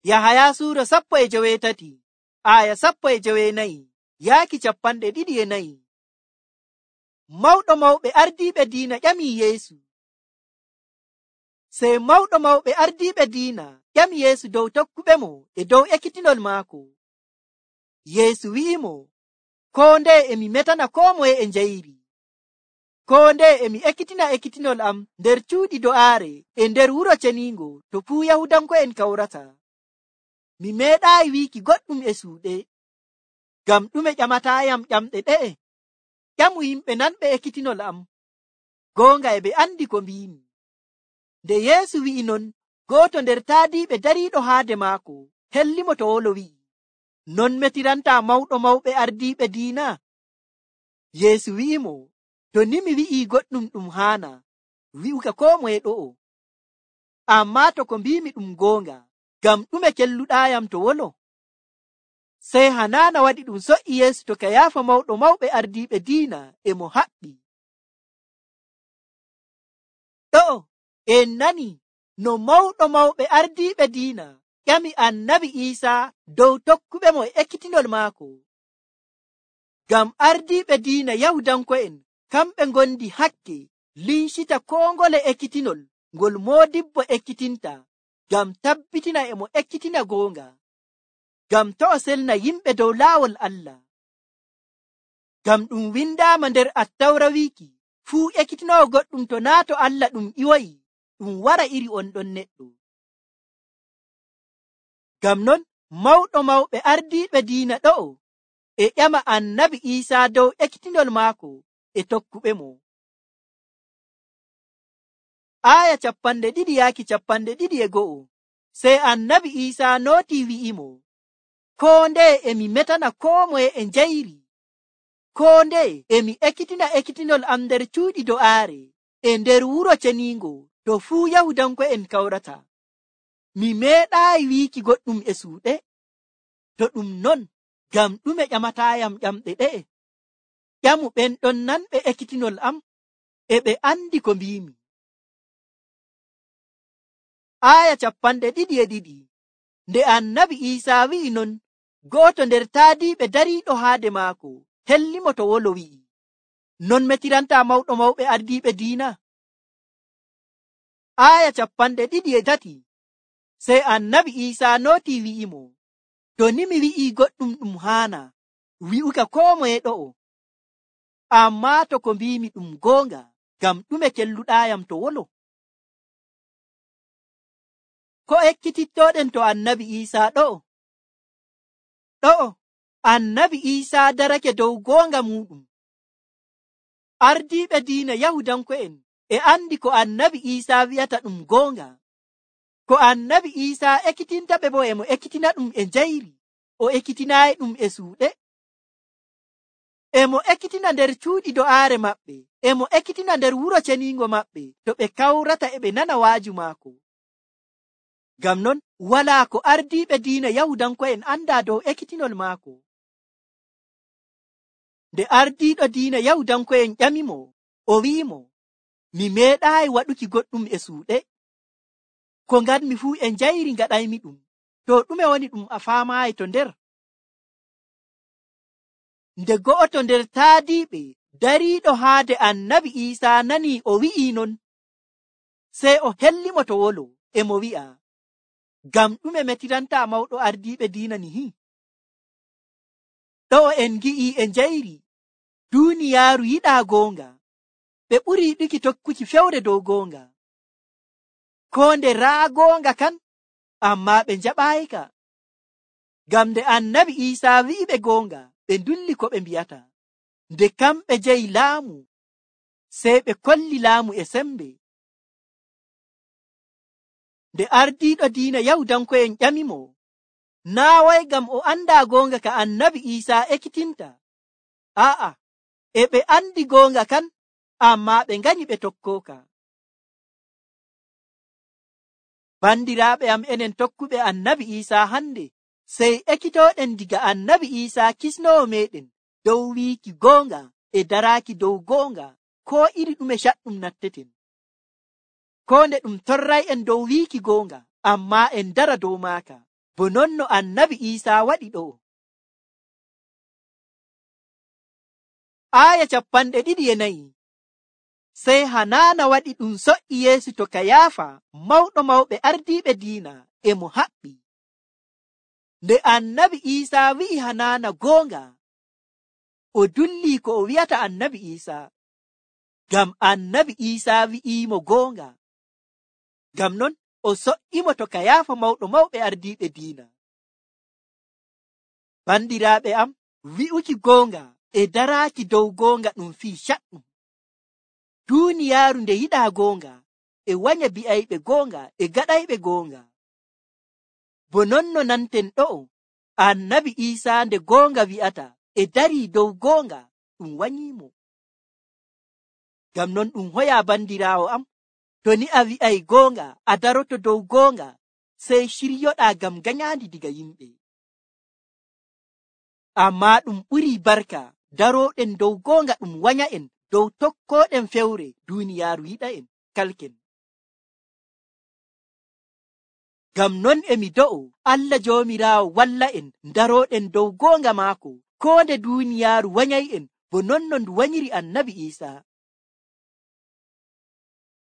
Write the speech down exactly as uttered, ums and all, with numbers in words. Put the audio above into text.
Yahaya suura sappo e joweetati aya sappo e joweenayi yaaki capanɗe ɗiɗi e nayi. Mawɗo mawɓe ardiiɓe diina ƴamii Yeesu. Sey mawɗo mawɓe ardiiɓe diina ƴami Yeesu dow tokkuɓemo e dow ekkitinol maako. Yeesu wi'imo, koo ndeye emi metana koo moye e njayri. Koo ndeye emi ekkitina ekkitinol am nder cuuɗi do'aare e nder wuro ceniingo to fuu Yahudanko'en kawrata. Mi meeɗaayi wiiki goɗɗum e suuɗe. Ngam ɗume ƴamataayam ƴamɗe ɗe'e? Ƴamu yimɓe nanɓe ekkitinol am. Goonga e ɓe andi ko mbiimi. Nde Yeesu wi'i non, gooto nder taadiiɓe dariiɗo haade maako hellimo to wolo wi'i, non metirantaa mawɗo mawɓe ardiiɓe diina? Yeesu wi'imo, to ni mi wi'ii goɗɗum ɗum haana, wi'uka koo moye ɗo'o. Ammaa to ko mbiimi ɗum goonga, ngam ɗume kelluɗaayam to wolo? Sey Hanaana waɗi ɗum so'i Yeesu to Kayaafa mawɗo mawɓe ardiiɓe diina e mo haɓɓi. Ɗo'o en nani no mawɗo mawɓe ardiiɓe diina ƴami Annabi Iisaa dow tokkuɓemo e ekkitinol maako. Ngam ardiiɓe diina Yahudanko'en kamɓe ngondi hakke lincita koo ngole ekkitinol ngol moodibbo ekkitinta, ngam tabbitina e mo ekkitina goonga, ngam to o selna yimɓe dow laawol Allah. Ngam ɗum windaama nder Attawra wiiki, fuu ekkitinowo goɗɗum to naa to Allah ɗum ƴiwoyi, ɗum wara iri on ɗon neɗɗo. Ngam non mawɗo mawɓe ardiiɓe diina ɗo'o e ƴama Annabi Iisaa dow ekkitinol maako e tokkuɓemo. Aya capanɗe ɗiɗi yaaki capanɗe ɗiɗi e go'o. Sey Annabi Iisaa nootii wi'imo, koo ndeye emi metana koo moye e njayri. Koo ndeye emi ekkitina ekkitinol am nder cuuɗi do'aare e nder wuro ceniingo to fuu Yahudanko'en kawrata. Mi meeɗaayi wiiki goɗɗum e suuɗe. To ɗum non, ngam ɗume ƴamataayam ƴamɗe ɗe'e? Ƴamu ɓen ɗon nanɓe ekkitinol am, e ɓe andi ko mbiimi. Aya capanɗe ɗiɗi e ɗiɗi. Nde Annabi Iisaa wi'i non, gooto nder taadiiɓe dariiɗo haade maako hellimo to wolo wi'i, non metirantaa mawɗo mawɓe ardiiɓe diina? Aya capanɗe ɗiɗi e tati. Sey Annabi Iisaa nootii wi'imo, to ni mi wi'ii goɗɗum ɗum haana, wi'uka koo moye ɗo'o. Ammaa to ko mbiimi ɗum goonga, ngam ɗume kelluɗaayam to wolo? Ko ekkitittooɗen to Annabi Iisaa ɗo'o? Ɗo'o Annabi Iisaa darake dow goonga muuɗum. Ardiiɓe diina Yahudanko'en e andi ko Annabi Iisaa wi'ata ɗum goonga. Ko Annabi Iisaa ekkitinta ɓe bo e mo ekkitina ɗum e njayri, o ekkitinaayi ɗum e suuɗe. E mo ekkitina nder cuuɗi do'aare maɓɓe, e mo ekkitina nder wuro ceniingo maɓɓe to ɓe kawrata e ɓe nana waaju maako. Ngam non walaa ko ardiiɓe diina Yahudanko'en andaa dow ekkitinol maako. Nde ardiiɗo diina Yahudanko'en ƴamimo, o wi'imo, mi meeɗaayi waɗuki goɗɗum e suuɗe. Ko ngadmi fuu e njayri ngaɗaymi ɗum. To ɗume woni ɗum a faamaayi to nder? Nde go'oto nder taadiiɓe dariiɗo haade Annabi Iisaa nanii o wi'ii non, sey o hellimo to wolo, e mo wi'a, ngam ɗume metirantaa mawɗo ardiiɓe diina nihi? Ɗo'o en ngi'ii e njayri, duuniyaaru yiɗaa goonga. Ɓe ɓuri yiɗuki tokkuki fewre dow goonga. Koo nde raa goonga kan, ammaa ɓe njaɓaayika. Ngam nde Annabi Iisaa wi'iɓe goonga, ɓe ndulli ko ɓe mbi'ata. Nde kamɓe jeyi laamu, sey ɓe kolli laamu e sembe. Nde ardiiɗo diina Yahudanko'en ƴamimo, naa way ngam o andaa goonga ka Annabi Iisaa ekkitinta. Aa'a, e ɓe andi goonga kan, ammaa ɓe nganyi ɓe tokkooka. Bandiraaɓe am, enen tokkuɓe Annabi Iisaa hande, sey ekkitooɗen diga Annabi Iisaa kisnoowo meeɗen dow wiiki goonga e daraaki dow goonga, koo iri ɗume caɗɗum natteten. Koo nde ɗum torray'en dow wiiki goonga, ammaa en dara dow maaka. bo non no annabi Iisaa waɗi ɗo. Aaya capanɗe ɗiɗi e nayi. Sey Hanaana waɗi ɗum so'i Yeesu to Kayaafa, mawɗo mawɓe ardiiɓe diina, e mo haɓɓi. Nde annabi Iisaa wi'i Hanaana goonga, o dullii ko o wi'ata annabi Iisaa, ngam annabi Iisaa wi'iimo goonga. Ngam non o so'imo to Kayaafa mawɗo mawɓe ardiiɓe diina. Bandiraaɓe am, wi'uki goonga e daraaki dow goonga ɗum fii caɗɗum. Duuniyaaru nde yiɗaa goonga, e wanya bi'ayɓe goonga e gaɗayɓe goonga. Bo non no nanten ɗo'o, annabi Iisaa nde goonga wi'ata e darii dow goonga, ɗum wanyiimo. Ngam non ɗum hoyaa bandiraawo am, to ni a wi'ay goonga, a daroto dow goonga, sey ciryoɗaa ngam ganyaandi diga yimɓe. Ammaa ɗum ɓurii barka darooɗen dow goonga ɗum wanya'en dow tokkooɗen fewre duuniyaaru yiɗa'en kalken. Ngam non e mi do'o Allah Joomiraawo walla'en darooɗen dow goonga maako, koo nde duuniyaaru wanyay'en bo non no ndu wanyiri annabi Iisaa.